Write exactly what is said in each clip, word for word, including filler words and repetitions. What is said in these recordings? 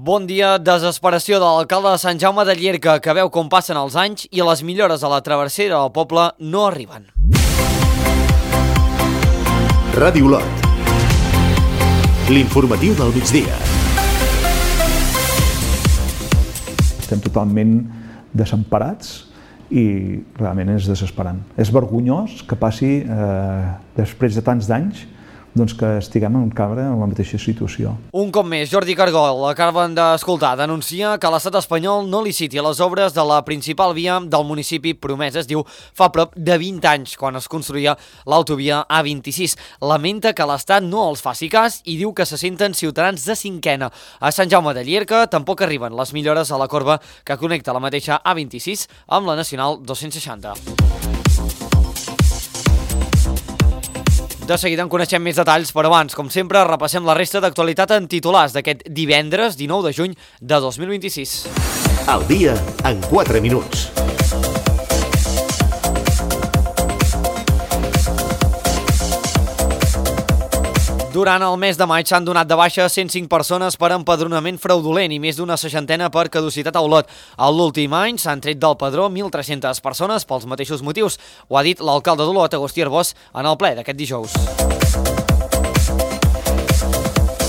Bon dia, desesperació de l'alcalde de Sant Jaume de Llierca, que veu com passen els anys i les millores a la travessera del poble no arriben. Ràdio Lot. L'informatiu del migdia. Estem totalment desemparats i realment és desesperant. És vergonyós que passi, eh, després de tants d'anys, doncs que estiguem encara en la mateixa situació. Un cop més, Jordi Cargol, acaben d'escoltar, denuncia que l'estat espanyol no liciti les obres de la principal via del municipi promesa, es diu, fa prop de vint anys, quan es construïa l'autovia A vint-i-sis. Lamenta que l'estat no els faci cas i diu que se senten ciutadans de cinquena. A Sant Jaume de Llierca tampoc arriben les millores a la corba que connecta la mateixa A vint-i-sis amb la Nacional dos-cents seixanta. De seguida en coneixem més detalls, però abans, com sempre, repassem la resta d'actualitat en titulars d'aquest divendres dinou de juny de dos mil vint-i-sis. Al dia en quatre minuts. Durant el mes de maig s'han donat de baixa cent cinc persones per empadronament fraudulent i més d'una seixantena per caducitat a Olot. A l'últim any s'han tret del padró mil tres-centes persones pels mateixos motius. Ho ha dit l'alcalde d'Olot, Agustí Arbós, en el ple d'aquest dijous.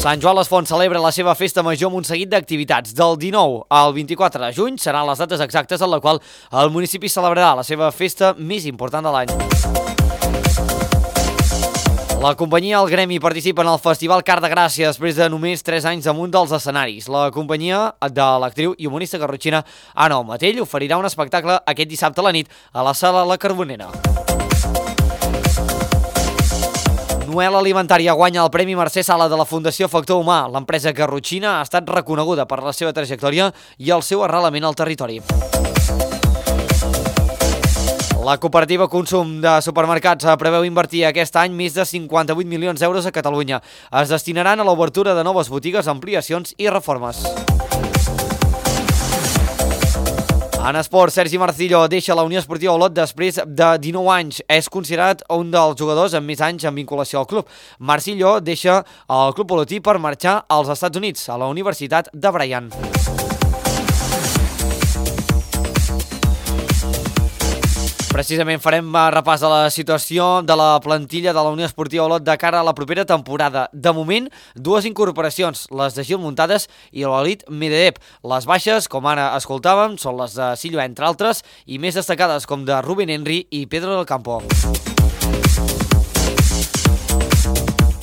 Sant Joan les Fonts celebra la seva festa major amb un seguit d'activitats. Del dinou al vint-i-quatre de juny seran les dates exactes en la qual el municipi celebrarà la seva festa més important de l'any. La companyia El Gremi participa en el Festival Car de Gràcia després de només tres anys damunt dels escenaris. La companyia de l'actriu i humorista garrotxina Anna Matell oferirà un espectacle aquest dissabte a la nit a la Sala La Carbonera. Noel Alimentària guanya el Premi Mercè Sala de la Fundació Factor Humà. L'empresa garrotxina ha estat reconeguda per la seva trajectòria i el seu arrelament al territori. La cooperativa Consum de Supermercats preveu invertir aquest any més de cinquanta-vuit milions d'euros a Catalunya. Es destinaran a l'obertura de noves botigues, ampliacions i reformes. En esport, Sergi Marcillo deixa la Unió Esportiva Olot després de dinou anys. És considerat un dels jugadors amb més anys en vinculació al club. Marcillo deixa el club olotí per marxar als Estats Units, a la Universitat de Bryant. Precisament farem repàs de la situació de la plantilla de la Unió Esportiva Olot de cara a la propera temporada. De moment, dues incorporacions, les de Gil Muntades i l'Elit Medvedev. Les baixes, com ara escoltàvem, són les de Silva, entre altres, i més destacades com de Rubén Henry i Pedro del Campo.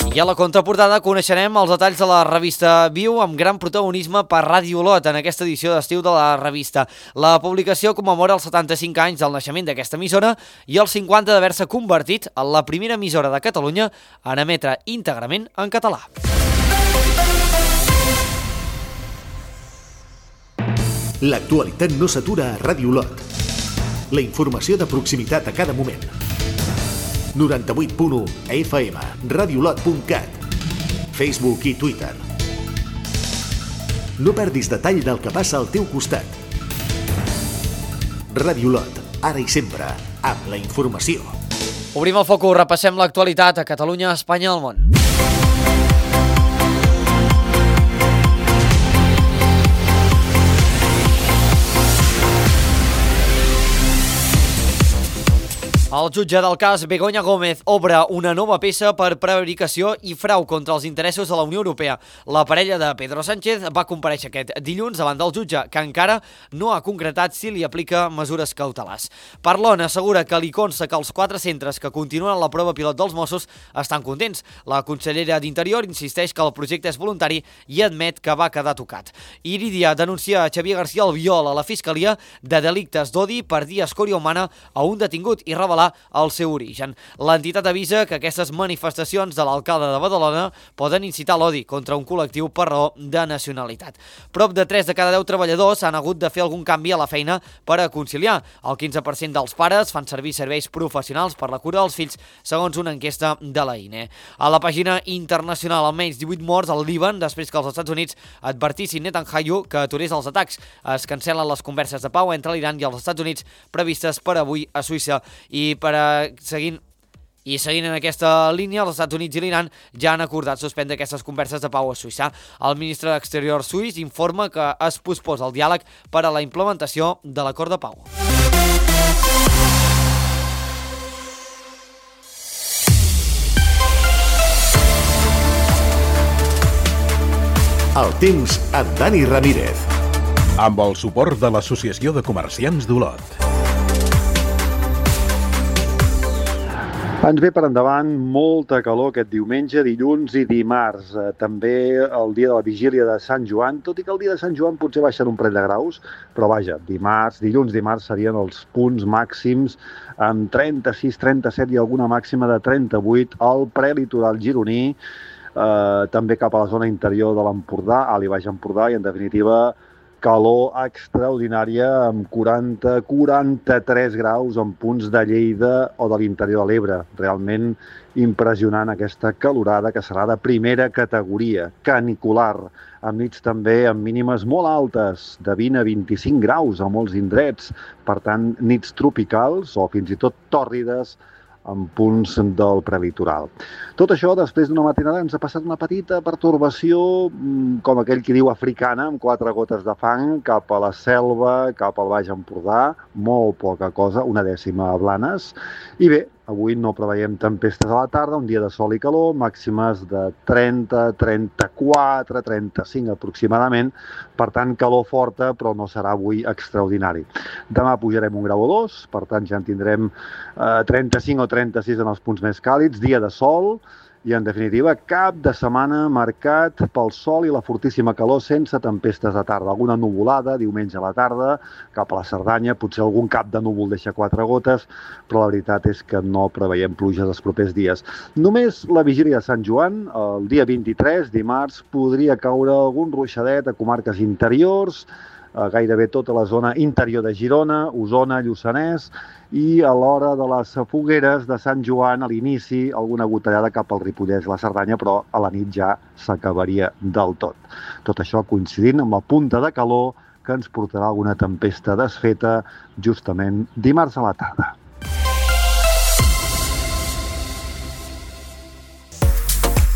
I a la contraportada coneixerem els detalls de la revista Viu amb gran protagonisme per Ràdio Olot en aquesta edició d'estiu de la revista. La publicació commemora els setanta-cinc anys del naixement d'aquesta emissora i els cinquanta d'haver-se convertit en la primera emissora de Catalunya en emetre íntegrament en català. L'actualitat no s'atura a Ràdio Olot. La informació de proximitat a cada moment. noranta-vuit punt u a F M, radiolot punt cat, Facebook i Twitter. No perdis detall del que passa al teu costat. Ràdio Olot, ara i sempre, amb la informació. Obrim el focus, repassem l'actualitat a Catalunya, Espanya i el món. El jutge del cas Begoña Gómez obre una nova peça per prevaricació i frau contra els interessos de la Unió Europea. La parella de Pedro Sánchez va comparèixer aquest dilluns davant del jutge, que encara no ha concretat si li aplica mesures cautelars. Parlon assegura que li consta que els quatre centres que continuen la prova pilot dels Mossos estan contents. La consellera d'Interior insisteix que el projecte és voluntari i admet que va quedar tocat. Iridia denuncia a Xavier García Albiol a la Fiscalia de delictes d'odi per dir escòria humana a un detingut i revelar el seu origen. L'entitat avisa que aquestes manifestacions de l'alcalde de Badalona poden incitar l'odi contra un col·lectiu per raó de nacionalitat. Prop de tres de cada deu treballadors han hagut de fer algun canvi a la feina per a conciliar. El quinze per cent dels pares fan servir serveis professionals per la cura dels fills, segons una enquesta de la I N E. A la pàgina internacional, almenys divuit morts al Líban després que els Estats Units advertissin Netanyahu que aturés els atacs. Es cancel·len les converses de pau entre l'Iran i els Estats Units previstes per avui a Suïssa. I per a, seguint I seguint en aquesta línia, els Estats Units i l'Iran ja han acordat suspendre aquestes converses de pau a Suïssa. El ministre d'Exterior suís informa que es posposa el diàleg per a la implementació de l'acord de pau. El temps amb Dani Ramírez. Amb el suport de l'Associació de Comerciants d'Olot. Ens ve per endavant molta calor aquest diumenge, dilluns i dimarts. Eh, també el dia de la vigília de Sant Joan, tot i que el dia de Sant Joan potser baixen un parell de graus, però vaja, dimarts, dilluns, dimarts serien els punts màxims amb trenta-sis, trenta-set i alguna màxima de trenta-vuit al prelitoral gironí, eh, també cap a la zona interior de l'Empordà, Alt i Baix Empordà, i en definitiva calor extraordinària amb quaranta a quaranta-tres graus en punts de Lleida o de l'interior de l'Ebre. Realment impressionant aquesta calorada que serà de primera categoria, canicular, amb nits també amb mínimes molt altes, de vint a vint-i-cinc graus a molts indrets. Per tant, nits tropicals o fins i tot tòrrides en punts del prelitoral. Tot això, després d'una matinada, ens ha passat una petita pertorbació, com aquell qui diu africana, amb quatre gotes de fang, cap a la Selva, cap al Baix Empordà, molt poca cosa, una dècima a Blanes. I bé, avui no preveiem tempestes a la tarda, un dia de sol i calor, màximes de trenta, trenta-quatre, trenta-cinc aproximadament, per tant calor forta, però no serà avui extraordinari. Demà pujarem un grau o dos, per tant ja en tindrem eh, trenta-cinc o trenta-sis en els punts més càlids, dia de sol, i en definitiva cap de setmana marcat pel sol i la fortíssima calor sense tempestes de tarda. Alguna nuvolada diumenge a la tarda cap a la Cerdanya, potser algun cap de núvol deixa quatre gotes, però la veritat és que no preveiem pluges els propers dies. Només la vigília de Sant Joan, el dia vint-i-tres, dimarts, podria caure algun ruixadet a comarques interiors, a gairebé tota la zona interior de Girona, Osona, Lluçanès, i a l'hora de les fogueres de Sant Joan, a l'inici, alguna gotellada cap al Ripollès i la Cerdanya, però a la nit ja s'acabaria del tot. Tot això coincidint amb la punta de calor que ens portarà alguna tempesta desfeta justament dimarts a la tarda.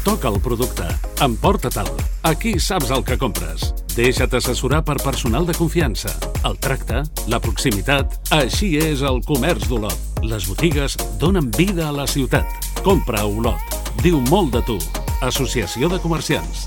Toca el producte, emporta-te'l. Aquí saps el que compres. Deixa't assessorar per personal de confiança. El tracte, la proximitat, així és el comerç d'Olot. Les botigues donen vida a la ciutat. Compra a Olot. Diu molt de tu. Associació de Comerciants.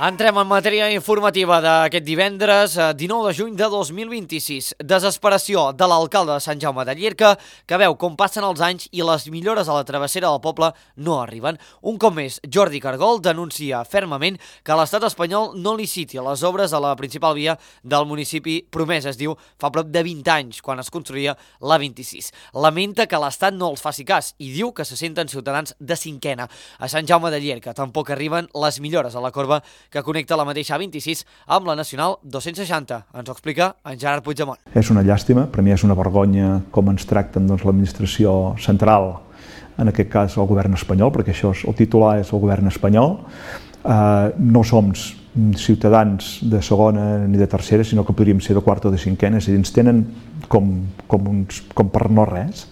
Entrem en matèria informativa d'aquest divendres, dinou de juny de dos mil vint-i-sis. Desesperació de l'alcalde de Sant Jaume de Llierca, que veu com passen els anys i les millores a la travessera del poble no arriben. Un cop més, Jordi Cargol denuncia fermament que l'estat espanyol no liciti les obres a la principal via del municipi promesa, es diu, fa prop de vint anys, quan es construïa la vint-i-sis. Lamenta que l'estat no els faci cas i diu que se senten ciutadans de cinquena. A Sant Jaume de Llierca tampoc arriben les millores a la corba que connecta la mateixa A vint-i-sis amb la Nacional dos-cents seixanta. Ens ho explica en Gerard Puigdemont. És una llàstima, per mi és una vergonya com ens tracten doncs, l'administració central, en aquest cas el govern espanyol, perquè això és, el titular és el govern espanyol. Uh, no som ciutadans de segona ni de tercera, sinó que podríem ser de quarta o de cinquena, és a dir, ens tenen com, com, uns, com per no res.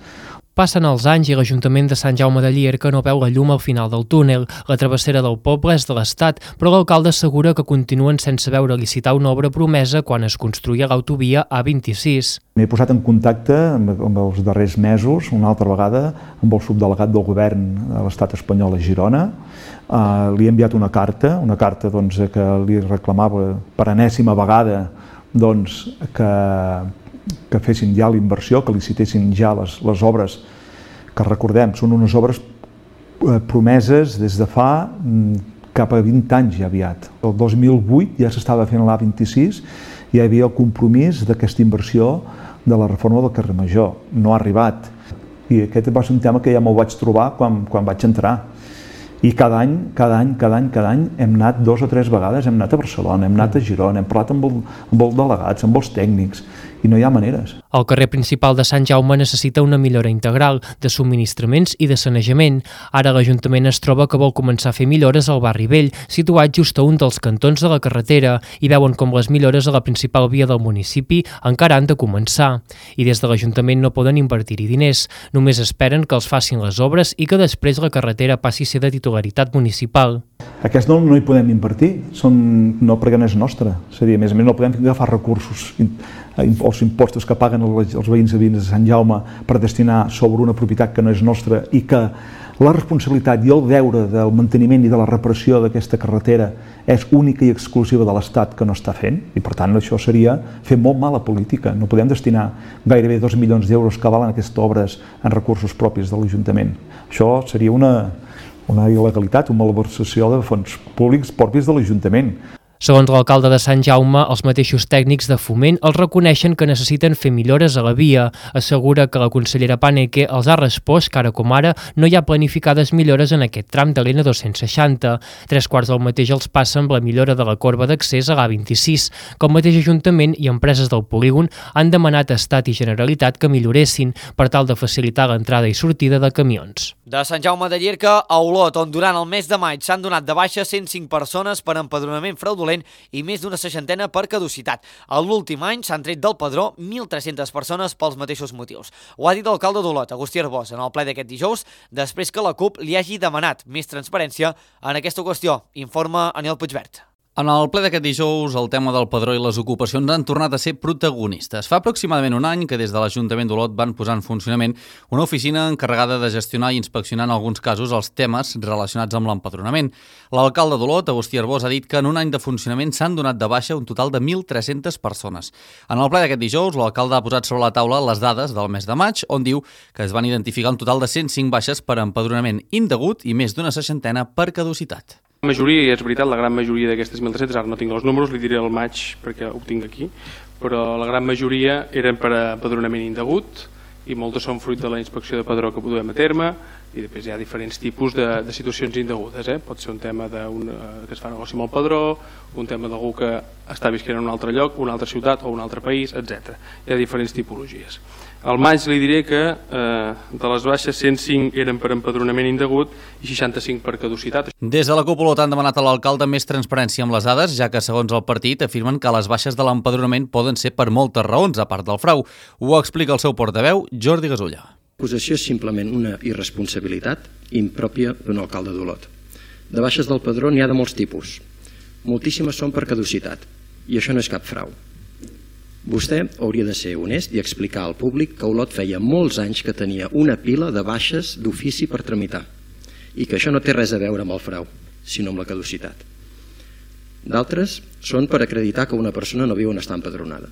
Passen els anys i l'Ajuntament de Sant Jaume de Llierca no veu la llum al final del túnel. La travessera del poble és de l'Estat, però l'alcalde assegura que continuen sense veure licitar una obra promesa quan es construïa l'autovia A vint-i-sis. M'he posat en contacte amb, amb els darrers mesos, una altra vegada, amb el subdelegat del govern de l'Estat espanyol a Girona. Uh, li he enviat una carta, una carta doncs, que li reclamava per enèsima vegada doncs, que que fessin ja la inversió, que licitessin ja les, les obres que recordem, són unes obres eh, promeses des de fa mm, cap a vint anys ja aviat. El dos mil vuit ja s'estava fent l'A vint-i-sis i hi havia el compromís d'aquesta inversió de la reforma del carrer Major. No ha arribat. I aquest va ser un tema que ja me'l vaig trobar quan, quan vaig entrar. I cada any, cada any, cada any, cada any hem anat dos o tres vegades, hem anat a Barcelona, hem anat a Girona, hem parlat amb, el, amb els delegats, amb els tècnics, i no hi ha maneres. El carrer principal de Sant Jaume necessita una millora integral de subministraments i de sanejament. Ara l'Ajuntament es troba que vol començar a fer millores al barri vell, situat just a un dels cantons de la carretera, i veuen com les millores a la principal via del municipi encara han de començar. I des de l'Ajuntament no poden invertir-hi diners, només esperen que els facin les obres i que després la carretera passi a ser de titularitat municipal. Aquest no, no hi podem invertir, són, no perquè no és nostre. És a dir, a més a més no podem agafar recursos, els impostos que paguen els, els veïns i veïnes de Sant Jaume per destinar sobre una propietat que no és nostra i que la responsabilitat i el deure del manteniment i de la reparació d'aquesta carretera és única i exclusiva de l'Estat que no està fent, i per tant això seria fer molt mala política. No podem destinar gairebé dos milions d'euros que valen aquestes obres en recursos propis de l'Ajuntament. Això seria una, una il·legalitat, una malversació de fons públics propis de l'Ajuntament. Segons l'alcalde de Sant Jaume, els mateixos tècnics de Foment els reconeixen que necessiten fer millores a la via. Assegura que la consellera Paneque els ha respost que ara com ara no hi ha planificades millores en aquest tram de l'N dos-cents seixanta. Tres quarts del mateix els passa amb la millora de la corba d'accés a l'A vint-i-sis, que el mateix Ajuntament i empreses del polígon han demanat a Estat i Generalitat que milloressin per tal de facilitar l'entrada i sortida de camions. De Sant Jaume de Llierca a Olot, on durant el mes de maig s'han donat de baixa cent cinc persones per empadronament fraudulent i més d'una seixantena per caducitat. A l'últim any s'han tret del padró mil tres-centes persones pels mateixos motius. Ho ha dit l'alcalde d'Olot, Agustí Arbós, en el ple d'aquest dijous, després que la CUP li hagi demanat més transparència en aquesta qüestió. Informa Aniol Puigvert. En el ple d'aquest dijous, el tema del padró i les ocupacions han tornat a ser protagonistes. Fa aproximadament un any que des de l'Ajuntament d'Olot van posar en funcionament una oficina encarregada de gestionar i inspeccionar en alguns casos els temes relacionats amb l'empadronament. L'alcalde d'Olot, Agustí Arbós, ha dit que en un any de funcionament s'han donat de baixa un total de mil tres-centes persones. En el ple d'aquest dijous, l'alcalde ha posat sobre la taula les dades del mes de maig, on diu que es van identificar un total de cent cinc baixes per empadronament indegut i més d'una seixantena per caducitat. La majoria, i és veritat, la gran majoria d'aquestes mil tres-centes, ara no tinc els números, li diré el maig perquè ho tinc aquí, però la gran majoria eren per empadronament indegut i moltes són fruit de la inspecció de padró que duem a terme, i després hi ha diferents tipus de, de situacions indegudes. Eh? Pot ser un tema de un, que es fa negoci amb el padró, un tema d'algú que està visquent en un altre lloc, una altra ciutat o un altre país, etcètera. Hi ha diferents tipologies. Al maig li diré que eh, de les baixes cent cinc eren per empadronament indegut i seixanta-cinc per caducitat. Des de la CUP Olot han demanat a l'alcalde més transparència amb les dades, ja que segons el partit afirmen que les baixes de l'empadronament poden ser per moltes raons, a part del frau. Ho explica el seu portaveu, Jordi Gasulla. L'acusació és simplement una irresponsabilitat impròpia d'un alcalde d'Olot. De baixes del padró n'hi ha de molts tipus. Moltíssimes són per caducitat, i això no és cap frau. Vostè hauria de ser honest i explicar al públic que Olot feia molts anys que tenia una pila de baixes d'ofici per tramitar i que això no té res a veure amb el frau, sinó amb la caducitat. D'altres són per acreditar que una persona no viu on està empadronada.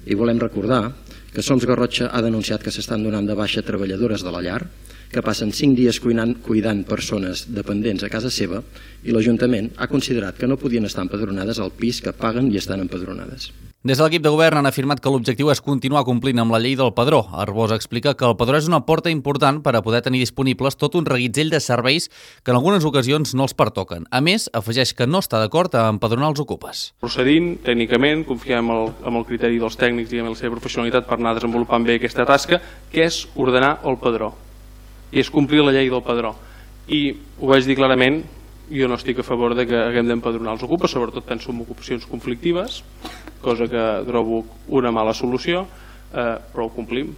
I volem recordar que Soms Garrotxa ha denunciat que s'estan donant de baixa treballadores de la llar, que passen cinc dies cuinant, cuidant persones dependents a casa seva, i l'Ajuntament ha considerat que no podien estar empadronades al pis que paguen i estan empadronades. Des de l'equip de govern han afirmat que l'objectiu és continuar complint amb la llei del padró. Arbós explica que el padró és una porta important per a poder tenir disponibles tot un reguitzell de serveis que en algunes ocasions no els pertoquen. A més, afegeix que no està d'acord a empadronar els ocupes. Procedint, tècnicament, confiem en el, en el criteri dels tècnics i en la seva professionalitat per anar desenvolupant bé aquesta tasca, que és ordenar el padró i és complir la llei del padró. I ho vaig dir clarament, jo no estic a favor de que haguem d'empadronar els ocupes, sobretot penso en ocupacions conflictives, cosa que trobo una mala solució, eh, però ho complim.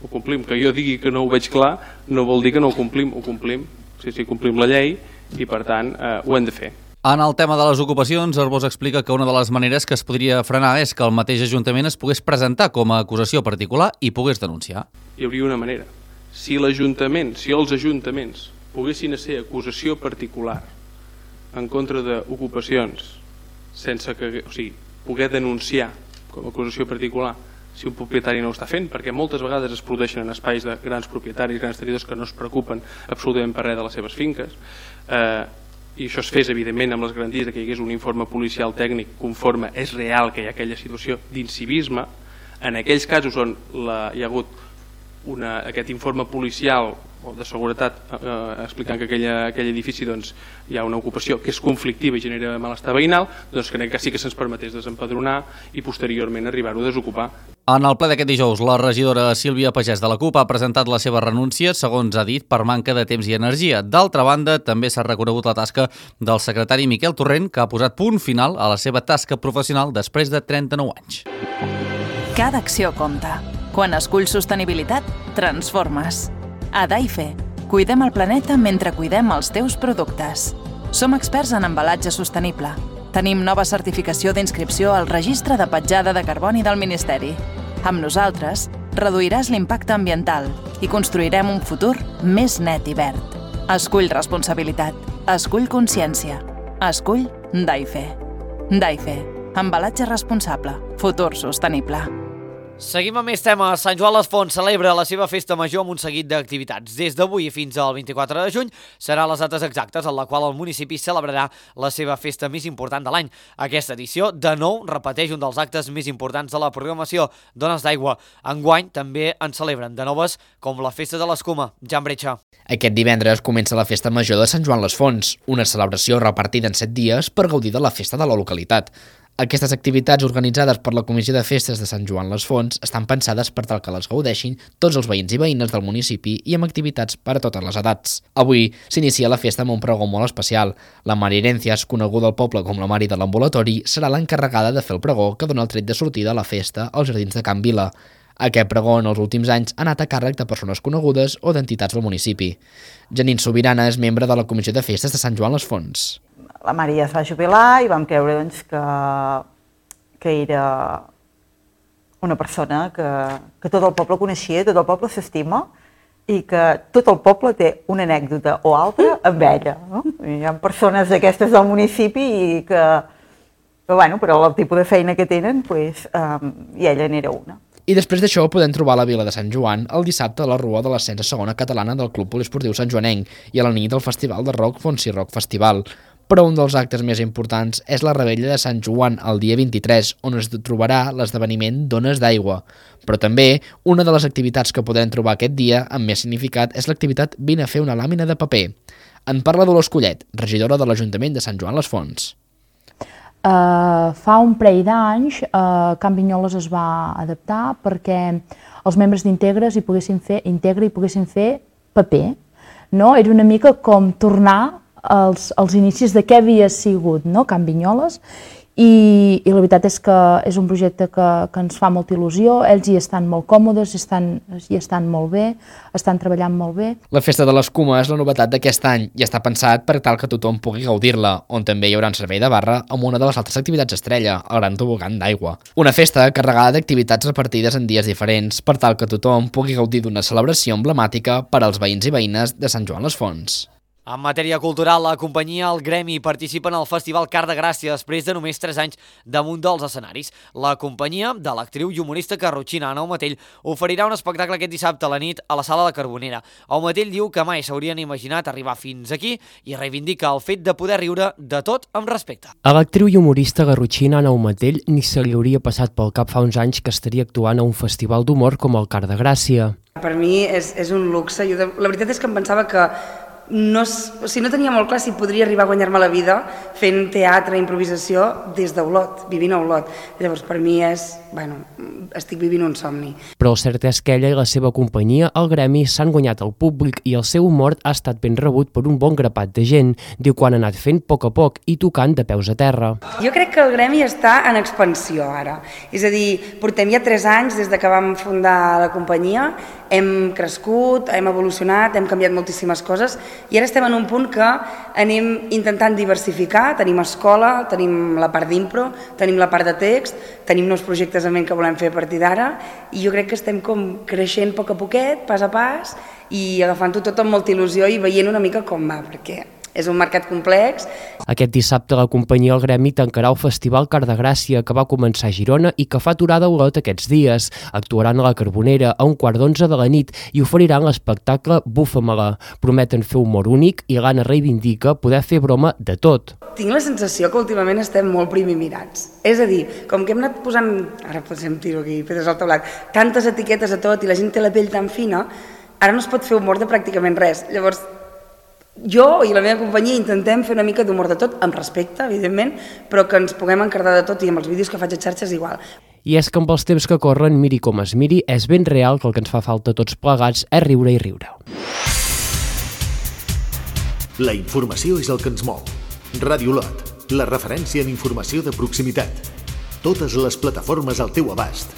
Ho complim. Que jo digui que no ho veig clar no vol dir que no ho complim, ho complim. Sí, sí, complim la llei i per tant eh, ho hem de fer. En el tema de les ocupacions, Arbós explica que una de les maneres que es podria frenar és que el mateix Ajuntament es pogués presentar com a acusació particular i pogués denunciar. Hi hauria una manera. Si l'Ajuntament, si els ajuntaments poguessin ser acusació particular en contra d'ocupacions sense que, o sigui, poder denunciar com a acusació particular si un propietari no ho està fent, perquè moltes vegades es produeixen en espais de grans propietaris, grans tenidors que no es preocupen absolutament per res de les seves finques, eh, i això es fes evidentment amb les garanties que hi hagués un informe policial tècnic conforme és real que hi ha aquella situació d'incivisme. En aquells casos on la, hi ha hagut una, aquest informe policial o de seguretat, eh, explicant que aquella, aquell edifici doncs, hi ha una ocupació que és conflictiva i genera malestar veïnal, doncs crec que sí que se'ns permetés desempadronar i posteriorment arribar-ho a desocupar. En el ple d'aquest dijous, la regidora Sílvia Pagès de la CUP ha presentat la seva renúncia, segons ha dit, per manca de temps i energia. D'altra banda, també s'ha reconegut la tasca del secretari Miquel Torrent, que ha posat punt final a la seva tasca professional després de trenta-nou anys. Cada acció compta. Quan esculls sostenibilitat, transformes. A Daife, cuidem el planeta mentre cuidem els teus productes. Som experts en embalatge sostenible. Tenim nova certificació d'inscripció al Registre de Petjada de Carboni del Ministeri. Amb nosaltres, reduiràs l'impacte ambiental i construirem un futur més net i verd. Escull responsabilitat. Escull consciència. Escull Daife. Daife. Embalatge responsable. Futur sostenible. Seguim amb més temes. Sant Joan les Fonts celebra la seva festa major amb un seguit d'activitats. Des d'avui fins al vint-i-quatre de juny serà les dates exactes en la qual el municipi celebrarà la seva festa més important de l'any. Aquesta edició, de nou, repeteix un dels actes més importants de la programació, Dones d'Aigua. Enguany també en celebren de noves, com la Festa de l'Escuma. Jan Bretxa. Aquest divendres comença la Festa Major de Sant Joan les Fonts, una celebració repartida en set dies per gaudir de la festa de la localitat. Aquestes activitats organitzades per la Comissió de Festes de Sant Joan les Fonts estan pensades per tal que les gaudeixin tots els veïns i veïnes del municipi i amb activitats per a totes les edats. Avui s'inicia la festa amb un pregó molt especial. La Mari Herencias, coneguda al poble com la Mari de l'Ambulatori, serà l'encarregada de fer el pregó que dona el tret de sortida a la festa als jardins de Can Vila. Aquest pregó en els últims anys ha anat a càrrec de persones conegudes o d'entitats del municipi. Janine Sobirana és membre de la Comissió de Festes de Sant Joan les Fonts. La Maria es va jubilar i vam creure doncs, que, que era una persona que, que tot el poble coneixia, tot el poble s'estima i que tot el poble té una anècdota o altra amb ella. No? Hi ha persones d'aquestes del municipi i que, que bueno, però el tipus de feina que tenen, pues, um, i ella n'era una. I després d'això podem trobar a la Vila de Sant Joan el dissabte a la Rua de l'Ascens a segona catalana del Club Poliesportiu Sant Joanenc i a la nit del Festival de Rock Fonsi Rock Festival. Però un dels actes més importants és la Rebella de Sant Joan el dia vint-i-tres, on es trobarà l'esdeveniment Dones d'Aigua. Però també una de les activitats que podrem trobar aquest dia amb més significat és l'activitat Vine a fer una làmina de paper. En parla Dolors Collet, regidora de l'Ajuntament de Sant Joan les Fonts. Uh, fa un parell d'anys uh, Can Vinyoles es va adaptar perquè els membres d'Integres hi poguessin fer, Integra hi poguessin fer paper. No? Era una mica com tornar als, als inicis de què havia sigut, no? Can Vinyoles, i, i la veritat és que és un projecte que, que ens fa molta il·lusió, ells hi estan molt còmodes, hi estan, hi estan molt bé, estan treballant molt bé. La Festa de l'Escuma és la novetat d'aquest any i està pensat per tal que tothom pugui gaudir-la, on també hi haurà un servei de barra amb una de les altres activitats estrella, el Gran Tobogan d'Aigua. Una festa carregada d'activitats repartides en dies diferents per tal que tothom pugui gaudir d'una celebració emblemàtica per als veïns i veïnes de Sant Joan les Fonts. En matèria cultural, la companyia El Gremi participa en el Festival Car de Gràcia després de només tres anys damunt dels escenaris. La companyia de l'actriu i humorista carrotxina Ana Aumatell oferirà un espectacle aquest dissabte a la nit a la Sala de Carbonera. Aumatell diu que mai s'haurien imaginat arribar fins aquí i reivindica el fet de poder riure de tot amb respecte. A l'actriu i humorista garrotxina Ana Aumatell ni se li hauria passat pel cap fa uns anys que estaria actuant a un festival d'humor com el Car de Gràcia. Per mi és, és un luxe. Jo, la veritat és que em pensava que No, o sigui, no tenia molt clar si podria arribar a guanyar-me la vida fent teatre, improvisació des d'Olot, vivint a Olot. Llavors per mi és, bueno, estic vivint un somni. Però el cert és que ella i la seva companyia, el Gremi, s'han guanyat el públic i el seu humor ha estat ben rebut per un bon grapat de gent. Diu que han anat fent a poc a poc i tocant de peus a terra. Jo crec que el Gremi està en expansió ara. És a dir, portem ja tres anys des de que vam fundar la companyia, hem crescut, hem evolucionat, hem canviat moltíssimes coses i ara estem en un punt que anem intentant diversificar, tenim escola, tenim la part d'impro, tenim la part de text, tenim nous projectes en ment que volem fer a partir d'ara i jo crec que estem com creixent a poc a poquet, pas a pas i agafant-ho tot amb molta il·lusió i veient una mica com va, perquè és un mercat complex. Aquest dissabte la companyia El Gremi tancarà el Festival Car de Gràcia que va començar a Girona i que fa aturada a Olot aquests dies. Actuaran a la Carbonera a un quart d'onze de la nit i oferiran l'espectacle Bufa-me-la. Prometen fer humor únic i l'Anna reivindica poder fer broma de tot. Tinc la sensació que últimament estem molt primimirats. És a dir, com que hem anat posant, ara potser em tiro aquí, pedres al teulat, tantes etiquetes a tot i la gent té la pell tan fina, ara no es pot fer humor de pràcticament res. Llavors, jo i la meva companyia intentem fer una mica d'humor de tot, amb respecte, evidentment, però que ens puguem encardar de tot i amb els vídeos que faig a xarxes igual. I és que amb els temps que corren, miri com es miri, és ben real que el que ens fa falta a tots plegats és riure i riure. La informació és el que ens mou. Ràdio Lot, la referència en informació de proximitat. Totes les plataformes al teu abast.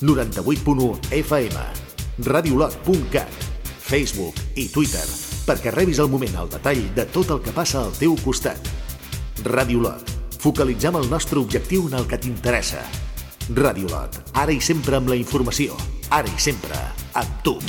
noranta-vuit punt u F M, radiolot punt cat, Facebook i Twitter, perquè rebis al moment el detall de tot el que passa al teu costat. Ràdio Lot, focalitzem el nostre objectiu en el que t'interessa. Ràdio Lot, ara i sempre amb la informació, ara i sempre amb tu.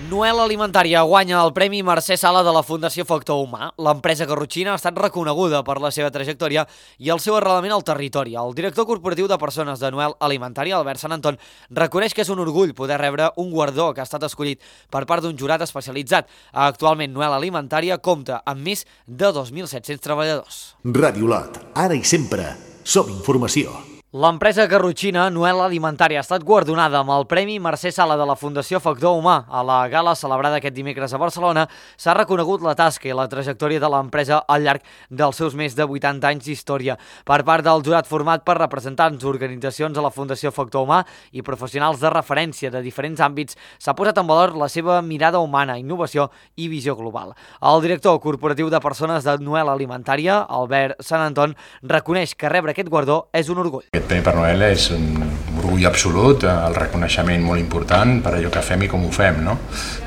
Noel Alimentària guanya el Premi Mercè Sala de la Fundació Factor Humà. L'empresa garrotxina ha estat reconeguda per la seva trajectòria i el seu arrelament al territori. El director corporatiu de persones de Noel Alimentària, Albert Sant Anton, reconeix que és un orgull poder rebre un guardó que ha estat escollit per part d'un jurat especialitzat. Actualment, Noel Alimentària compta amb més de dos mil set-cents treballadors. Ràdio Lot, ara i sempre, som informació. L'empresa garrotxina Noel Alimentària ha estat guardonada amb el Premi Mercè Sala de la Fundació Factor Humà. A la gala celebrada aquest dimecres a Barcelona s'ha reconegut la tasca i la trajectòria de l'empresa al llarg dels seus més de vuitanta anys d'història. Per part del jurat format per representants d'organitzacions de la Fundació Factor Humà i professionals de referència de diferents àmbits, s'ha posat en valor la seva mirada humana, innovació i visió global. El director corporatiu de persones de Noel Alimentària, Albert Sant Anton, reconeix que rebre aquest guardó és un orgull. Aquest Premi per Noel és un orgull absolut, el reconeixement molt important per allò que fem i com ho fem, no?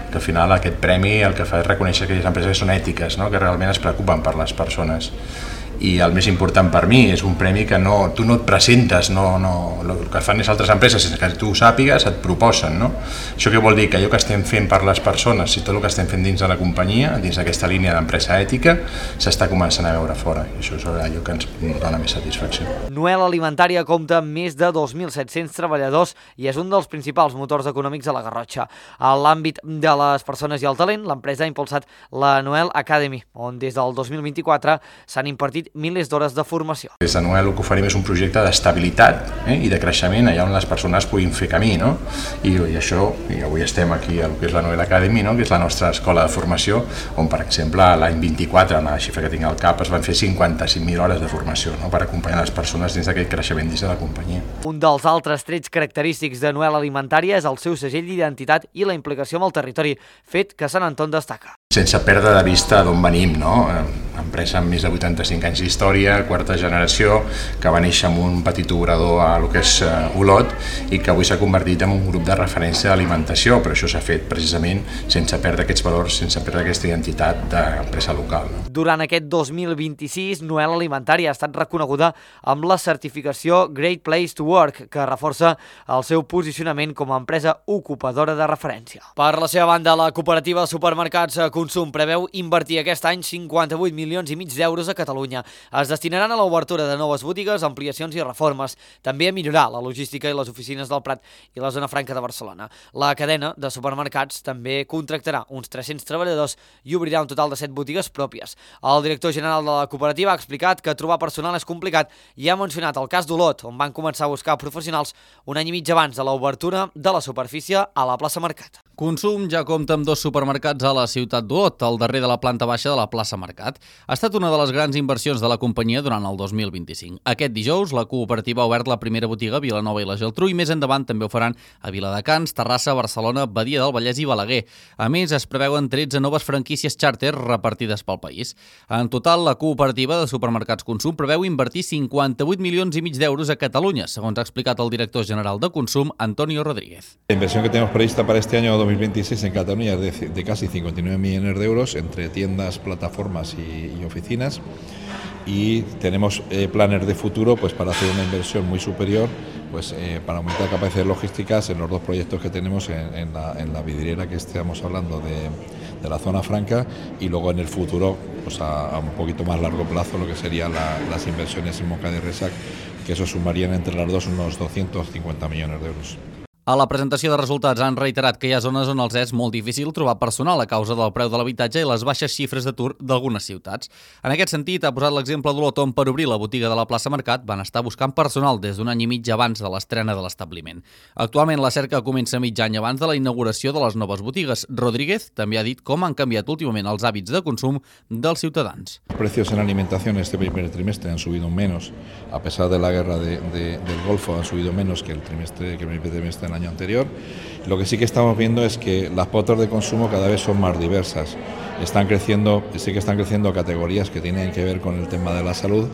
Que al final aquest premi el que fa és reconèixer que aquelles empreses són ètiques, no? Que realment es preocupen per les persones. I el més important per mi és un premi que no, tu no et presentes, no, no, el que fan les altres empreses sense que tu ho sàpigues et proposen, no? Això què vol dir? Que allò que estem fent per les persones i tot el que estem fent dins de la companyia, dins d'aquesta línia d'empresa ètica, s'està començant a veure fora, i això és allò que ens dona més satisfacció. Noel Alimentària compta amb més de dos mil set-cents treballadors i és un dels principals motors econòmics de la Garrotxa. A l'àmbit de les persones i el talent, l'empresa ha impulsat la Noel Academy, on des del dos mil vint-i-quatre s'han impartit milers d'hores de formació. Des de Noel el que oferim és un projecte d'estabilitat eh, i de creixement allà on les persones puguin fer camí, no? I, i això, i avui estem aquí al que és la Noel Academy, no? Que és la nostra escola de formació, on per exemple l'any vint-i-quatre, amb la xifra que tinc al cap, es van fer cinquanta-cinc mil hores de formació, no? Per acompanyar les persones dins d'aquest creixement dins de la companyia. Un dels altres trets característics de Noel Alimentària és el seu segell d'identitat i la implicació amb el territori, fet que Sant Anton destaca. Sense perdre de vista d'on venim, no? Empresa amb més de vuitanta-cinc anys d'història, quarta generació, que va néixer amb un petit obrador a lo que és Olot i que avui s'ha convertit en un grup de referència d'alimentació, però això s'ha fet precisament sense perdre aquests valors, sense perdre aquesta identitat d'empresa local. No? Durant aquest dos mil vint-i-sis, Noel Alimentària ha estat reconeguda amb la certificació Great Place to Work, que reforça el seu posicionament com a empresa ocupadora de referència. Per la seva banda, la cooperativa de supermercats Consum preveu invertir aquest any cinquanta-vuit milions i mig d'euros a Catalunya. Es destinaran a l'obertura de noves botigues, ampliacions i reformes, també a millorar la logística i les oficines del Prat i la zona franca de Barcelona. La cadena de supermercats també contractarà uns tres-cents treballadors i obrirà un total de set botigues pròpies. El director general de la cooperativa ha explicat que trobar personal és complicat i ha mencionat el cas d'Olot, on van començar a buscar professionals un any i mig abans de l'obertura de la superfície a la plaça Mercat. Consum ja compta amb dos supermercats a la ciutat d'Olot, el darrer de la planta baixa de la plaça Mercat. Ha estat una de les grans inversions de la companyia durant el dos mil vint-i-cinc. Aquest dijous, la cooperativa ha obert la primera botiga a Vilanova i la Geltrú i més endavant també ho faran a Viladecans, Terrassa, Barcelona, Badia del Vallès i Balaguer. A més, es preveuen tretze noves franquícies xàrter repartides pel país. En total, la cooperativa de supermercats Consum preveu invertir cinquanta-vuit milions i mig d'euros a Catalunya, segons ha explicat el director general de Consum, Antonio Rodríguez. La inversión que tenemos prevista para este año dos mil veintiséis en Cataluña es de, de casi cincuenta y nueve millones de euros entre tiendas, plataformas y, y oficinas, y tenemos eh, planes de futuro pues para hacer una inversión muy superior pues eh, para aumentar capacidades logísticas en los dos proyectos que tenemos en, en, la, en la vidriera que estamos hablando de, de la zona franca y luego en el futuro pues a, a un poquito más largo plazo lo que serían la, las inversiones en Moncada y Resac, que eso sumarían entre las dos unos doscientos cincuenta millones de euros. A la presentació de resultats han reiterat que hi ha zones on els és molt difícil trobar personal a causa del preu de l'habitatge i les baixes xifres d'atur d'algunes ciutats. En aquest sentit, ha posat l'exemple d'Olot on per obrir la botiga de la plaça Mercat van estar buscant personal des d'un any i mig abans de l'estrena de l'establiment. Actualment la cerca comença mig any abans de la inauguració de les noves botigues. Rodríguez també ha dit com han canviat últimament els hàbits de consum dels ciutadans. Los precios en alimentación este primer trimestre han subido menos, a pesar de la guerra de, de, del Golfo han subido menos que el trimestre que el primer trimestre del año anterior. Lo que sí que estamos viendo es que las pautas de consumo cada vez son más diversas. Están creciendo, sí que están creciendo categorías que tienen que ver con el tema de la salud,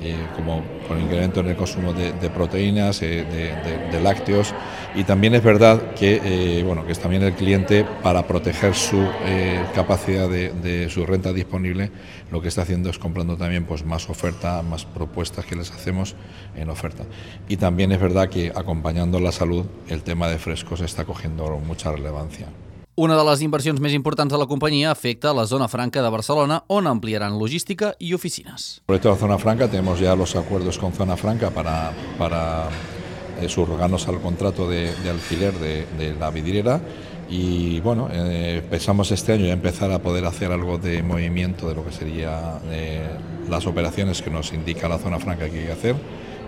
eh, como con el incremento en el consumo de, de proteínas, eh, de, de, de lácteos, y también es verdad que, eh, bueno, que es también el cliente, para proteger su eh, capacidad de, de su renta disponible, lo que está haciendo es comprando también pues, más oferta, más propuestas que les hacemos en oferta. Y también es verdad que acompañando la salud, el tema de frescos está cogiendo mucha relevancia. Una de les inversions més importants de la companyia afecta la zona franca de Barcelona, on ampliaran logística i oficines. Por esta zona franca tenemos ya los acuerdos con Zona Franca para, para eh, subrogarnos al contrato de, de alquiler de, de la vidriera y bueno, eh, pensamos este año ya empezar a poder hacer algo de movimiento de lo que sería eh, las operaciones que nos indica la Zona Franca que hay que hacer,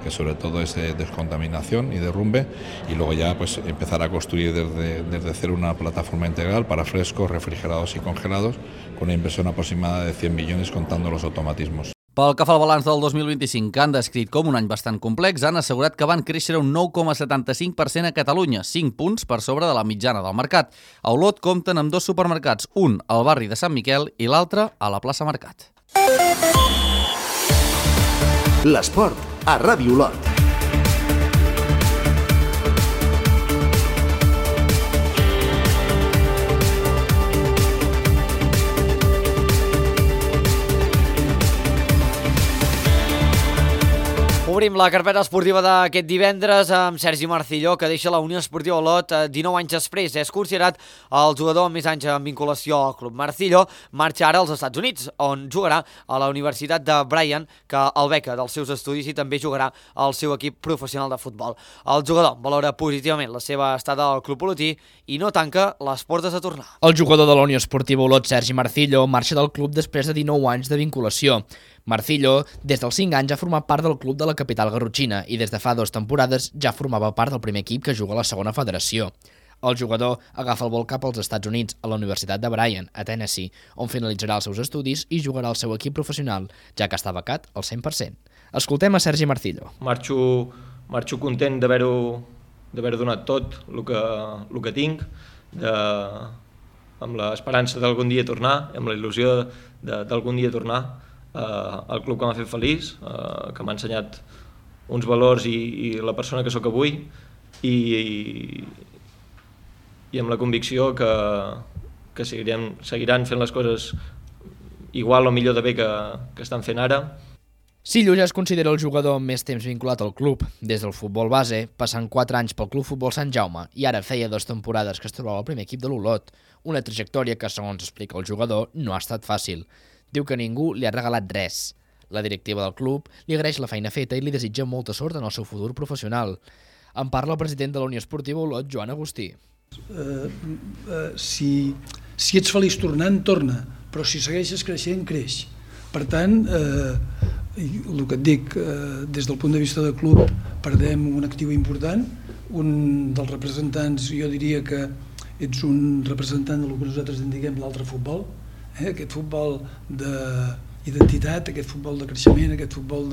que sobre todo es de descontaminación y derrumbe, y luego ya pues empezar a construir desde, desde cero una plataforma integral para frescos, refrigerados y congelados, con una inversión aproximada de cien millones contando los automatismos. Pel que fa al balanç del dos mil vint-i-cinc, que han descrit com un any bastant complex, han assegurat que van créixer un nou coma setanta-cinc per cent a Catalunya, cinc punts per sobre de la mitjana del mercat. A Olot compten amb dos supermercats, un al barri de Sant Miquel i l'altre a la plaça Mercat. L'esport a Ràdio Olot. Obrim la carpeta esportiva d'aquest divendres amb Sergi Marcilló, que deixa la Unió Esportiva Olot dinou anys després. És considerat el jugador amb més anys en vinculació al club. Marcilló marxa ara als Estats Units, on jugarà a la Universitat de Bryant, que el beca dels seus estudis, i també jugarà al seu equip professional de futbol. El jugador valora positivament la seva estada al club olotí i no tanca les portes a tornar. El jugador de la Unió Esportiva Olot, Sergi Marcilló, marxa del club després de dinou anys de vinculació. Marcilló, des dels cinc anys, ha format part del club de la capital garrotxina i des de fa dues temporades ja formava part del primer equip que juga a la segona federació. El jugador agafa el vol cap als Estats Units, a la Universitat de Bryant, a Tennessee, on finalitzarà els seus estudis i jugarà al seu equip professional, ja que està becat al cent per cent. Escoltem a Sergi Marcilló. Marxo, marxo content d'haver-ho d'haver donat tot el que, el que tinc, de, amb l'esperança d'algun dia tornar, amb la il·lusió d'algun dia tornar Uh, el club que m'ha fet feliç, uh, que m'ha ensenyat uns valors i, i la persona que sóc avui, i, i, i amb la convicció que, que seguirem, seguiran fent les coses igual o millor de bé que, que estan fent ara. Sillo ja es considera el jugador amb més temps vinculat al club, des del futbol base, passant quatre anys pel Club Futbol Sant Jaume, i ara feia dues temporades que es trobava al primer equip de l'Olot, una trajectòria que, segons explica el jugador, no ha estat fàcil. Diu que ningú li ha regalat res. La directiva del club li agraeix la feina feta i li desitja molta sort en el seu futur professional. En parla el president de la Unió Esportiva Olot, Joan Agustí. Uh, uh, si, si ets feliç tornant, torna, però si segueixes creixent, creix. Per tant, uh, el que et dic, uh, des del punt de vista del club, perdem un actiu important, un dels representants, jo diria que ets un representant del que nosaltres en diguem l'altre futbol, Eh, aquest futbol d'identitat, aquest futbol de creixement, aquest futbol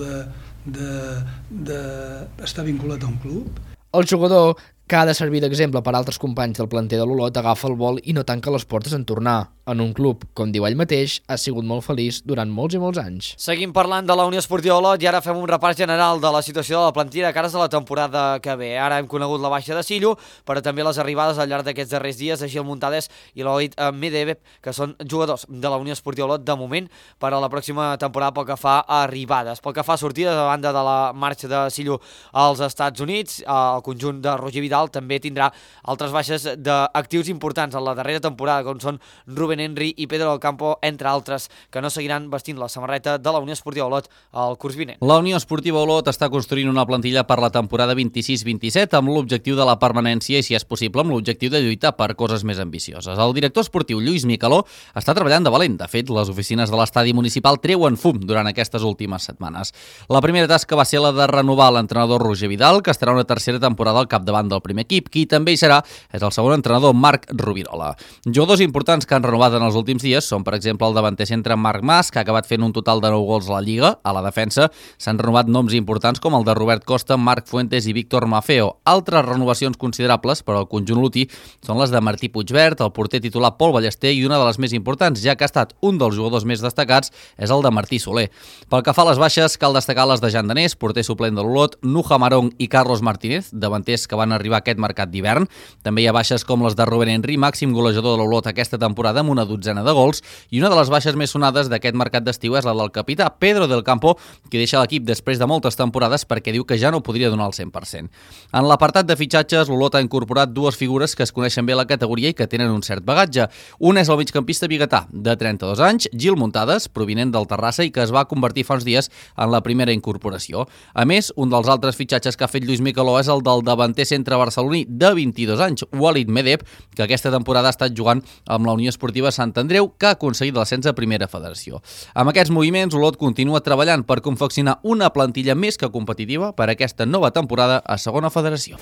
d'estar vinculat a un club. El jugador, que ha de servir d'exemple per a altres companys del planter de l'Olot, agafa el vol i no tanca les portes en tornar. En un club, com diu ell mateix, ha sigut molt feliç durant molts i molts anys. Seguim parlant de la Unió Esportiva Olot i ara fem un repàs general de la situació de la plantilla de cares a la temporada que ve. Ara hem conegut la baixa de Sillo, però també les arribades al llarg d'aquests darrers dies de Gil Muntades i l'Oid Medvedev, que són jugadors de la Unió Esportiva Olot de moment per a la pròxima temporada pel que fa a arribades. Pel que fa a sortides, a banda de la marxa de Sillo als Estats Units, el conjunt de Roger Vidal Vidal també tindrà altres baixes d'actius importants en la darrera temporada, com són Rubén Henry i Pedro del Campo, entre altres, que no seguiran vestint la samarreta de la Unió Esportiva Olot al curs vinent. La Unió Esportiva Olot està construint una plantilla per la temporada vint-i-sis vint-i-set amb l'objectiu de la permanència i, si és possible, amb l'objectiu de lluitar per coses més ambicioses. El director esportiu Lluís Micaló està treballant de valent. De fet, les oficines de l'estadi municipal treuen fum durant aquestes últimes setmanes. La primera tasca va ser la de renovar l'entrenador Roger Vidal, que estarà una tercera temporada al capdavant del primer equip. Qui també hi serà és el segon entrenador, Marc Rubirola. Jugadors importants que han renovat en els últims dies són, per exemple, el davanter centre Marc Mas, que ha acabat fent un total de nou gols a la Lliga. A la defensa s'han renovat noms importants com el de Robert Costa, Marc Fuentes i Víctor Mafeo. Altres renovacions considerables per al conjunt lotí són les de Martí Puigvert, el porter titular Pol Ballester i una de les més importants, ja que ha estat un dels jugadors més destacats, és el de Martí Soler. Pel que fa a les baixes, cal destacar les de Jan Danés, porter suplent de l'Olot, Nuja Marong i Carlos Martínez, davanters que van arribar a aquest mercat d'hivern. També hi ha baixes com les de Rubén Henry, màxim golejador de l'Olot aquesta temporada amb una dotzena de gols, i una de les baixes més sonades d'aquest mercat d'estiu és la del capità Pedro del Campo, que deixa l'equip després de moltes temporades perquè diu que ja no podria donar el cent per cent. En l'apartat de fitxatges, l'Olot ha incorporat dues figures que es coneixen bé a la categoria i que tenen un cert bagatge. Un és el migcampista biguetà, de trenta-dos anys, Gil Muntades, provinent del Terrassa i que es va convertir fa uns dies en la primera incorporació. A més, un dels altres fitxatges que ha fet Lluís Micaló és el del davanter centre barceloní de vint-i-dos anys, Walid Medeb, que aquesta temporada ha estat jugant amb la Unió Esportiva Sant Andreu, que ha aconseguit l'ascens a Primera Federació. Amb aquests moviments, Olot continua treballant per confeccionar una plantilla més que competitiva per a aquesta nova temporada a Segona Federació.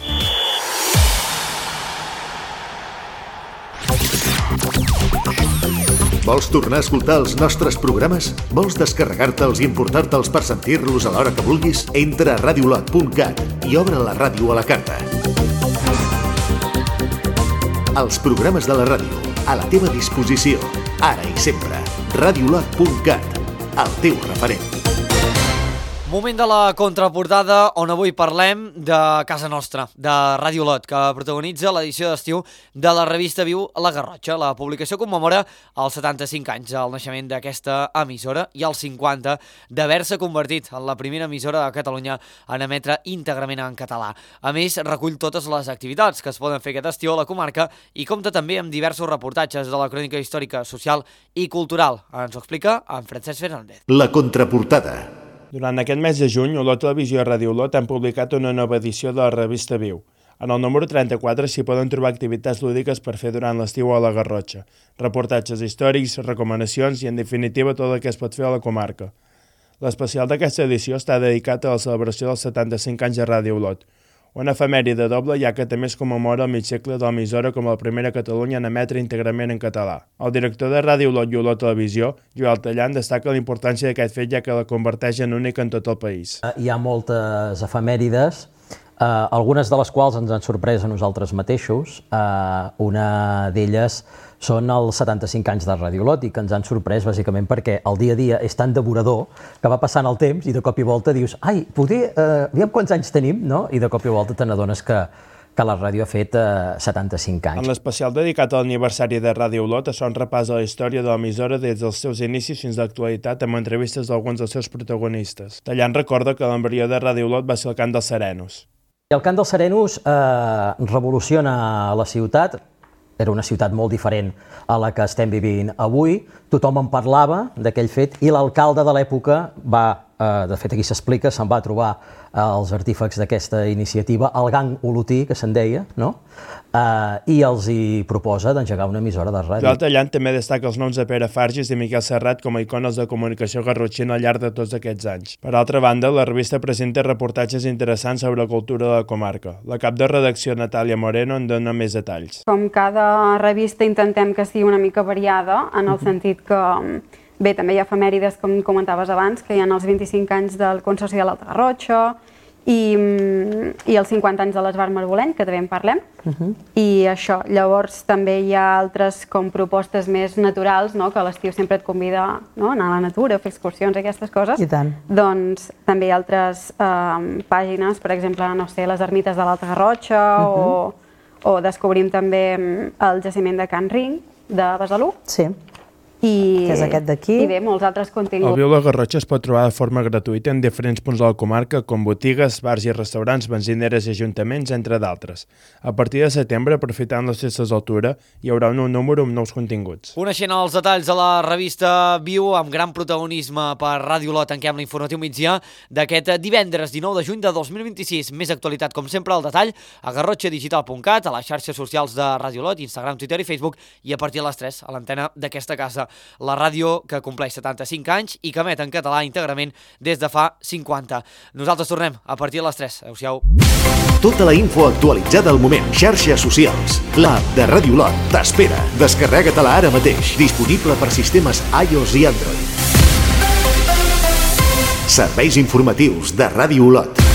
Vols tornar a escoltar els nostres programes? Vols descarregar-te'ls i importar-te'ls per sentir-los a l'hora que vulguis? Entra a radiolot punt cat i obre la ràdio a la carta. Els programes de la ràdio, a la teva disposició, ara i sempre. radiolot punt cat, el teu referent. Moment de la contraportada, on avui parlem de casa nostra, de Ràdio Olot, que protagonitza l'edició d'estiu de la revista Viu La Garrotxa. La publicació commemora els setanta-cinc anys del naixement d'aquesta emissora i els cinquanta d'haver-se convertit en la primera emissora de Catalunya en emetre íntegrament en català. A més, recull totes les activitats que es poden fer aquest estiu a la comarca i compta també amb diversos reportatges de la crònica històrica, social i cultural. Ens ho explica en Francesc Fernández. La contraportada. Durant aquest mes de juny, Olot Televisió i Ràdio Olot han publicat una nova edició de la revista Viu. En el número trenta-quatre s'hi poden trobar activitats lúdiques per fer durant l'estiu a la Garrotxa, reportatges històrics, recomanacions i, en definitiva, tot el que es pot fer a la comarca. L'especial d'aquesta edició està dedicat a la celebració dels setanta-cinc anys de Ràdio Olot, una efemèride doble, ja que també es commemora el mig segle de l'emissora com la primera a Catalunya en emetre íntegrament en català. El director de Ràdio Olot i Olot Televisió, Joel Tallant, destaca la importància d'aquest fet, ja que la converteix en única en tot el país. Hi ha moltes efemèrides, eh, algunes de les quals ens han sorprès a nosaltres mateixos. Eh, una d'elles són els setanta-cinc anys de Ràdio Olot i que ens han sorprès bàsicament perquè el dia a dia és tan devorador que va passant el temps i de cop i volta dius ai, poder, eh, aviam quants anys tenim, no? I de cop i volta te n'adones que, que la ràdio ha fet eh, setanta-cinc anys. En l'especial dedicat a l'aniversari de Ràdio Olot es fa un repàs a la història de l'emissora des dels seus inicis fins a l'actualitat amb entrevistes d'alguns dels seus protagonistes. Tallant recorda que l'embrió de Ràdio Olot va ser el Cant dels Serenos. El Cant dels Serenos eh, revoluciona la ciutat. Era una ciutat molt diferent a la que estem vivint avui. Tothom en parlava d'aquell fet i l'alcalde de l'època va, eh, de fet aquí s'explica, se'n va trobar eh, els artífecs d'aquesta iniciativa, el gang olotí, que se'n deia, no? Eh, i els hi proposa d'engegar una emissora de ràdio. Joel Tallant també destaca els noms de Pere Fargis i Miquel Serrat com a icones de comunicació garrotxina al llarg de tots aquests anys. Per altra banda, la revista presenta reportatges interessants sobre la cultura de la comarca. La cap de redacció, Natàlia Moreno, en dona més detalls. Com cada revista intentem que sigui una mica variada, en el sentit que, bé, també hi ha efemèrides, com comentaves abans, que hi ha els vint-i-cinc anys del Consorci de l'Alta Garrotxa, i, i els cinquanta anys de l'Esbar Marboleny, que també en parlem, uh-huh. i això. Llavors també hi ha altres com propostes més naturals, no? Que a l'estiu sempre et convida, no? A anar a la natura, a fer excursions, aquestes coses. I tant. Doncs també hi ha altres eh, pàgines, per exemple, no sé, les ermites de l'Alta Garrotxa, uh-huh. o, o descobrim també el jaciment de Can Ring, de Besalú. Sí. I, que és aquest d'aquí. I bé, molts altres continguts. El Viu la Garrotxa es pot trobar de forma gratuïta en diferents punts de la comarca, com botigues, bars i restaurants, benzineres i ajuntaments, entre d'altres. A partir de setembre, aprofitant les festes d'altura, hi haurà un nou número amb nous continguts. Coneixent els detalls de la revista Viu, amb gran protagonisme per Ràdio Lot, tanquem l'informatiu migdia d'aquest divendres dinou de juny de dos mil vint-i-sis. Més actualitat, com sempre, al detall a garrotxa digital punt cat, a les xarxes socials de Ràdio Lot, Instagram, Twitter i Facebook, i a partir de les tres a l'antena d'aquesta casa. La ràdio que compleix setanta-cinc anys i que emet en català íntegrament des de fa cinquanta. Nosaltres tornem a partir de les tres. Adéu-siau. Tota la info actualitzada al moment. Xarxes socials. L'app de Ràdio Lot t'espera. Descarrega-te-la ara mateix. Disponible per sistemes iOS i Android. Serveis informatius de Ràdio Lot.